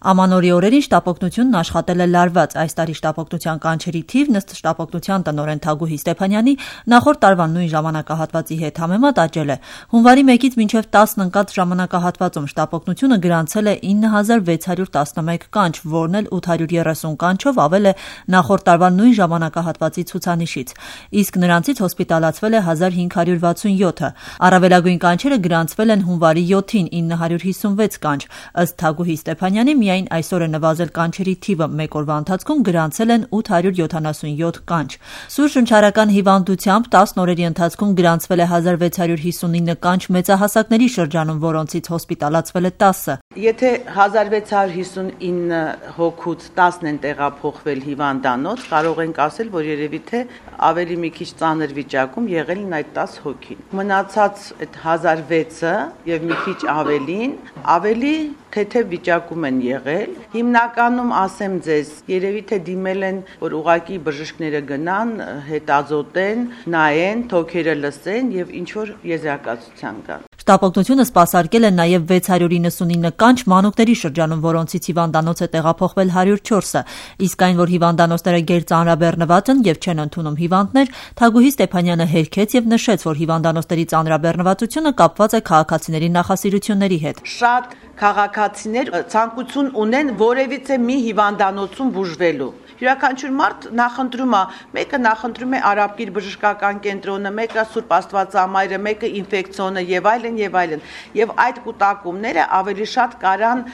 Ամանորի օրերին շտապօգնությունն աշխատել է լարված։ Այս տարի շտապօգնության կանչերի թիվն ըստ շտապօգնության տնօրեն Թագուհի Ստեփանյանի նախորդ տարվա նույն ժամանակահատվածի հետ համեմատ աճել է։ Հունվարի 1-ից մինչև 10 ընկած ժամանակահատվածում շտապօգնությունը գրանցել է 9611 կանչ, որն էլ 830 կանչով ավել է նախորդ տարվա նույն ժամանակահատվածի ցուցանիշից։ Իսկ նրանցից հոսպիտալացվել է 1567-ը։ Առավելագույն կանչերը գրանցվել են հունվարի 7-ին 956 կանչ։ Ըստ Թագուհի Ստեփանյանի միայն այսօր է նվազել կանչերի թիվը, մեկ օրվա ընթացքում գրանցել են 877 կանչ։ Սուր շնչառական հիվանդությամբ 10 օրերի ընթացքում գրանցվել է 1659 կանչ մեծահասակների շրջանում, որոնցից հոսպիտալացվել է 10-ը։ Եթե 1659 հոգուց 10-ն են տեղափոխվել հիվանդանոց, կարող ենք ասել, որ երևի թե ավելի մի քիչ ծանր վիճակում եղել են այդ 10 հոգին։ Մնացած այդ 1006-ը եւ մի քիչ ավելի թեթև վիճակում են եղել։ Հիմնականում ասեմ ձեզ, երևի թե դիմել են, որ ուղակի բժիշկները գնան, հետազոտեն, նայեն, թոքերը լսեն եւ ինչ որ եզրակացության գան։ Շտապօգնությունը սպասարկել է նաև 699 կանչ մանուկների շրջանում, որոնցից հիվանդանոց է տեղափոխվել 104-ը, իսկ այն, որ հիվանդանոցները գերծանրաբեռնված են եւ չեն ընդունում հիվանդներ, Թագուհի Ստեփանյանը հերքեց եւ նշեց, որ հիվանդանոցների ծանրաբեռնվածությունը կապված է քաղաքացիների նախասիրությունների հետ։ Շատ քաղաքացիներ ցանկություն ունեն որևիցե մի հիվանդանոցում բուժվելու։ Յուրաքանչյուր մարդ նախընտրում է, մեկը նախընտրում է Արաբկիր բժշկական կենտրոնը, մեկը Սուրբ Աստվածամայրը, մեկը ինֆեկցիոնը եւ այլն եւ այլն։ Եվ այդ կուտակումները ավելի շատ կարան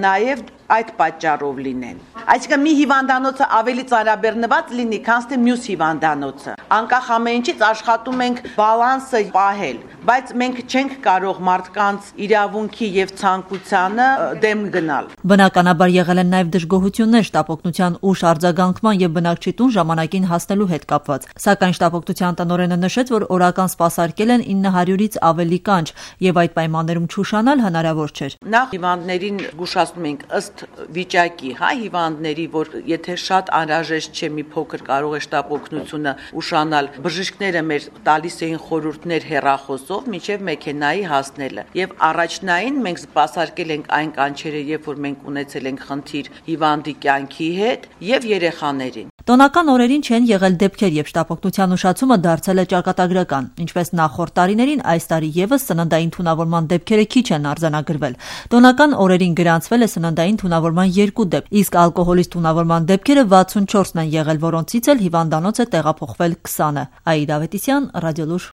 նաեւ այդ պատճառով լինեն։ Այսինքն մի հիվանդանոցը ավելի ծանրաբեռնված լինի, քան թե մյուս հիվանդանոցը։ Անկախ ամեն ինչից աշխատում ենք բալանսը պահել, բայց մենք չենք կարող մարդկանց իրավունքի եւ ցանկությանը դեմ գնալ։ Բնականաբար եղել են նաեւ դժգոհություններ շտապօգնության ուշ արձագանքման եւ բնակչի տուն ժամանակին հասնելու հետ կապված։ Սակայն շտապօգնության տնօրենը նշեց, որ օրական սպասարկել են 900-ից ավելի կանչ եւ այդ պայմաններում չուշանալ հնարավոր չէր։ Նախ հիվանդներին զգուշացնում ենք ըստ վիճակի, հիվանդների, որ եթե շատ անհրաժեշտ չէ, մի փոքր կարող է շտապօգնությունը ուշանալ, բժիշկները մեր տալիս էին խորհուրդներ հեռախոսով մինչև մեքենայի հասնելը։ Եվ առաջնային մենք սպասարկել ենք այն կանչերը, երբ որ մենք ունեցել ենք խնդիր հիվանդի կյանքի հետ եւ երեխաներին։ Տոնական օրերին չեն եղել դեպքեր, եւ շտապօգնության ուշացումը դարձել է ճակատագրական։ Ինչպես նախորդ տարիներին, այս տարի եւս սննդային թունավորման դեպքերը քիչ են արձանագրվել։ Տոնական օրերին գրանցվել է սննդային թունավորման 2 դեպք, իսկ ալկոհոլից թունավորման դեպքերը 64-ն են եղել, որոնցից էլ հիվանդանոց է տեղափոխվել 20-ը։ Աիդա Ավետիսյան, Ռադիոլուր։